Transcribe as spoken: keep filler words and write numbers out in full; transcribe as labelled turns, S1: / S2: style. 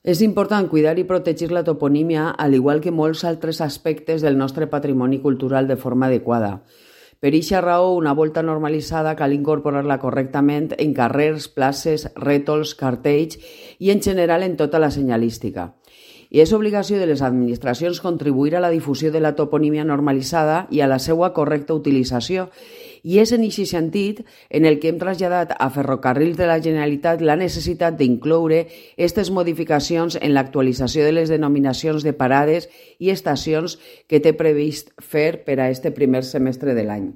S1: És important cuidar i protegir la toponímia, al igual que molts altres aspectes del nostre patrimoni cultural de forma adequada. Per eixa raó, una volta normalitzada cal incorporar-la correctament en carrers, places, rètols, cartells i en general en tota la senyalística. I és obligació de les administracions contribuir a la difusió de la toponímia normalitzada i a la seva correcta utilització, i és en aquest sentit en el que hem traslladat a Ferrocarrils de la Generalitat la necessitat d'incloure aquestes modificacions en l'actualització de les denominacions de parades i estacions que té previst fer per a este primer semestre de l'any.